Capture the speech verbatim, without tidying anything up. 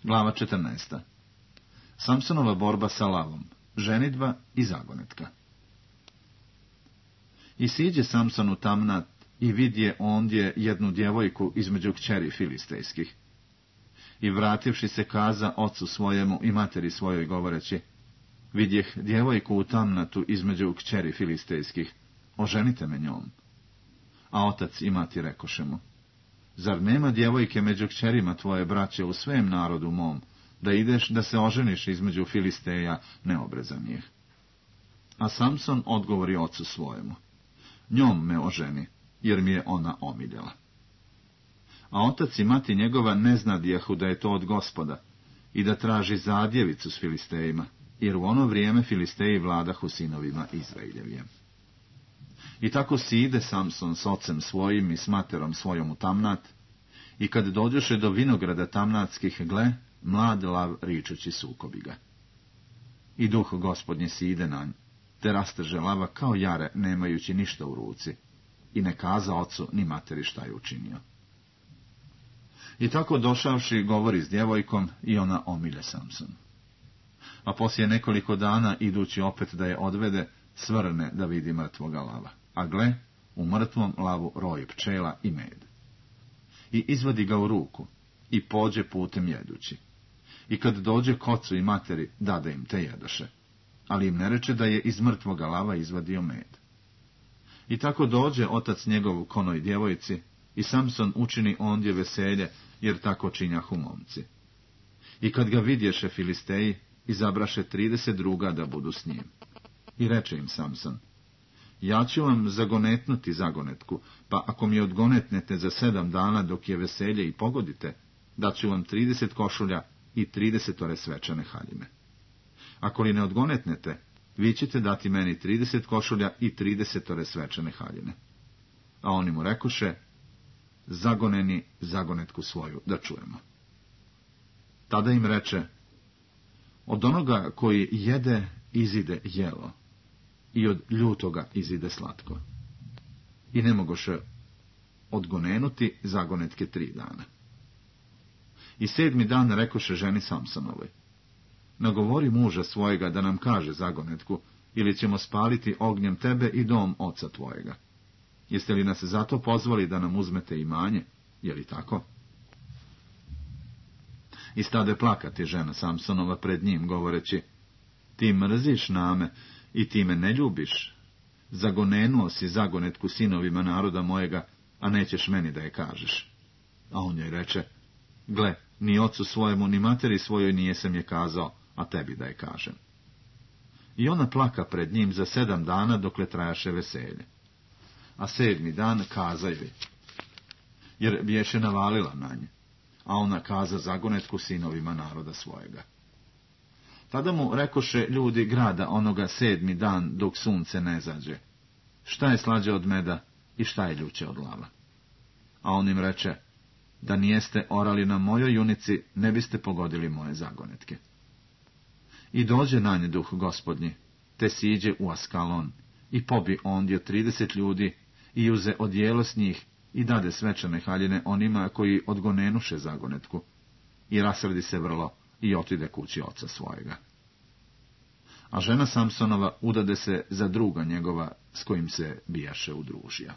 Glava četrnaesta. Samsonova borba sa lavom, ženidba i zagonetka. I siđe Samson u Tamnat i vidje ondje jednu djevojku između kćeri filistejskih. I vrativši se kaza ocu svojemu i materi svojoj govoreći, vidjeh djevojku u Tamnatu između kćeri filistejskih, oženite me njom. A otac i mati rekoše mu, zar nema djevojke među kćerima tvoje braće u svem narodu mom, da ideš da se oženiš između Filisteja neobrezanih? A Samson odgovori ocu svojemu, njom me oženi, jer mi je ona omiljela. A otac i mati njegova ne znadjehu da je to od Gospoda i da traži zadjevicu s Filistejima, jer u ono vrijeme Filisteji vladahu sinovima Izraeljevije. I tako side Samson s ocem svojim i s materom svojom u Tamnat, i kad dođoše do vinograda tamnatskih, gle, mlad lav ričući sukobi ga. I duh Gospodnje side na nj, te rasteže lava kao jare, nemajući ništa u ruci, i ne kaza ocu ni materi šta je učinio. I tako došavši govori s djevojkom i ona omilje Samson. A poslije nekoliko dana, idući opet da je odvede, svrne da vidi mrtvoga lava. A gle, u mrtvom lavu roj pčela i med. I izvadi ga u ruku i pođe putem jedući. I kad dođe k ocu i materi, dade im te jedoše, ali im ne reče da je iz mrtvoga lava izvadio med. I tako dođe otac njegov k onoj djevojci, i Samson učini ondje veselje, jer tako činjahu momci. I kad ga vidješe Filisteji, izabraše trideset druga da budu s njim. I reče im Samson, ja ću vam zagonetnuti zagonetku, pa ako mi odgonetnete za sedam dana dok je veselje i pogodite, daću vam trideset košulja i tridesetore svečane haljine. Ako li ne odgonetnete, vi ćete dati meni trideset košulja i tridesetore svečane haljine. A oni mu rekoše, zagoneni zagonetku svoju, da čujemo. Tada im reče, od onoga koji jede izide jelo, i od ljutoga izide slatko. I ne mogoše odgonenuti zagonetke tri dana. I sedmi dan rekoše ženi Samsonovoj, nagovori muža svojega da nam kaže zagonetku, ili ćemo spaliti ognjem tebe i dom oca tvojega. Jeste li nas zato pozvali da nam uzmete imanje, je li tako? I stade plakati žena Samsonova pred njim, govoreći, ti mrziš name i ti me ne ljubiš. Zagonenuo si zagonetku sinovima naroda mojega, a nećeš meni da je kažeš. A on joj reče, gle, ni ocu svojemu, ni materi svojoj nijesam je kazao, a tebi da je kažem. I ona plaka pred njim za sedam dana dokle trajaše veselje. A sedmi dan kaza joj, jer biješe navalila na nje, a ona kaza zagonetku sinovima naroda svojega. Tada mu rekoše ljudi grada onoga sedmi dan dok sunce ne zađe, šta je slađe od meda i šta je ljuće od lava? A on im reče, da nijeste orali na mojoj junici, ne biste pogodili moje zagonetke. I dođe na nje duh Gospodnji, te siđe u Askalon, i pobi ondje trideset ljudi, i uze odijelo s njih, i dade svečane haljine onima koji odgonenuše zagonetku, i rasredi se vrlo, i otide kući oca svojega. A žena Samsonova udade se za druga njegova, s kojim se bijaše udružija.